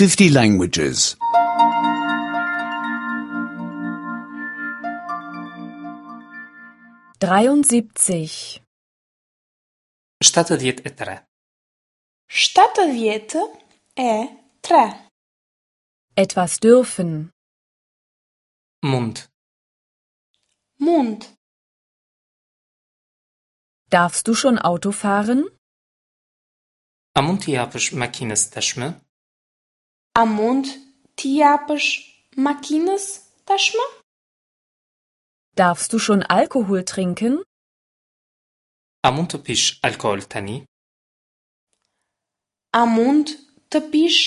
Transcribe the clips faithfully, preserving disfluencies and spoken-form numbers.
fifty languages. dreiundsiebzig, shtatëdhjetë e tre, shtatëdhjetë e tre. Etwas dürfen, Mund, Mund. Darfst du schon Auto fahren? A mund t'i japësh makinës tashmë? A mund t'i japësh makinës tashmë? Darfst du schon Alkohol trinken? A mund të pish alkool tani? A mund të pish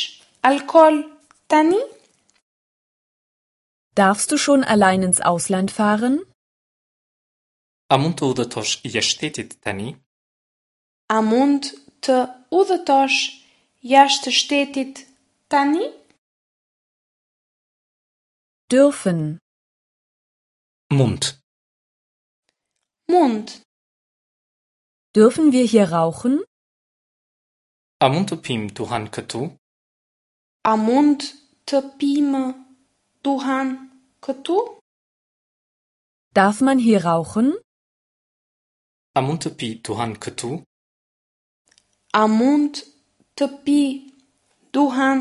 alkool tani? Darfst du schon allein ins Ausland fahren? A mund të udhëtosh jashtë shtetit tani? A mund të udhëtosh jashtë shtetit tani? Dürfen, Mund. Mund. Dürfen wir hier rauchen? A mund të pim duhan këtu? A mund të pimë duhan këtu? Darf man hier rauchen? A mund të pi duhan këtu? A mund të pi duhan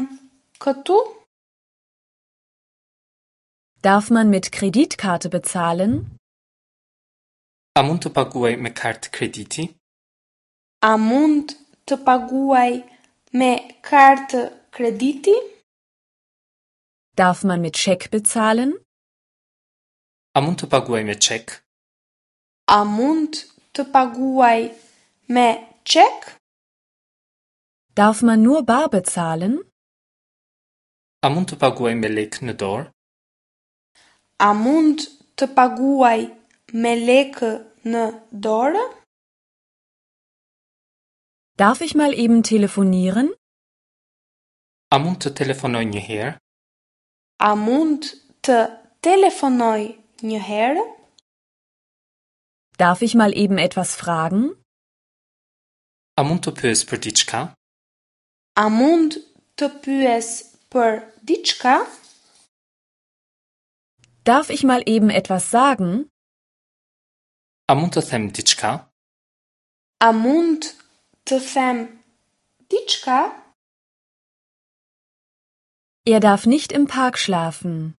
këtu? Darf man mit Kreditkarte bezahlen? A mund të paguaj me kartë krediti? A mund të paguaj me kartë krediti? Darf man mit Scheck bezahlen? A mund të paguaj me çek? A mund të paguaj me çek? Darf man nur bar bezahlen? A mund të paguaj me lekë në dorë? A mund të paguaj me lekë në dorë? Darf ich mal eben telefonieren? A mund të telefonoj një herë? A mund të telefonoj një herë? Darf ich mal eben etwas fragen? A mund të pyes për diçka? A mund të pyes për diçka? Darf ich mal eben etwas sagen? A mund të them diçka? A mund të them diçka? Er darf nicht im Park schlafen.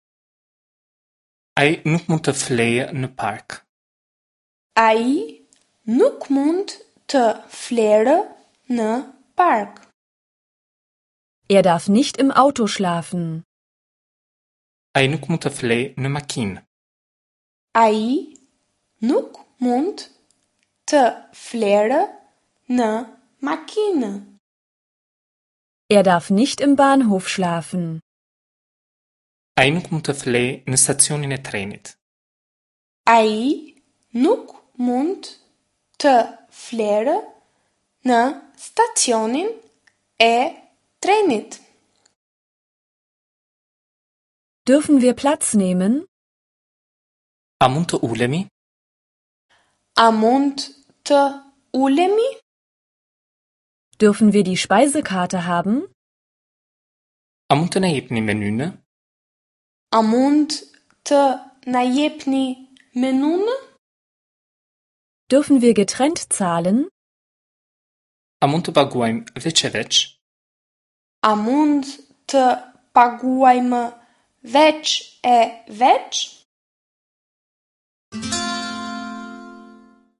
Ai nuk mund të flejë në park. Ai nuk mund të flerë në park. Er darf nicht im Auto schlafen. Ai nuk mund të flejë në makinë. Ai nuk mund të flerë në makinë. Er darf nicht im Bahnhof schlafen. Ai nuk mund të flejë në stacionin e trenit. Ai nuk mund të flerë në stacionin e trenit. Dürfen wir Platz nehmen? A mund të ulemi? A mund të ulemi? Dürfen wir die Speisekarte haben? A mund të na jepni menynë? A mund të na jepni menunë? Dürfen wir getrennt zahlen? A mund të paguajmë veç e veç? A mund të paguajmë veç e veç?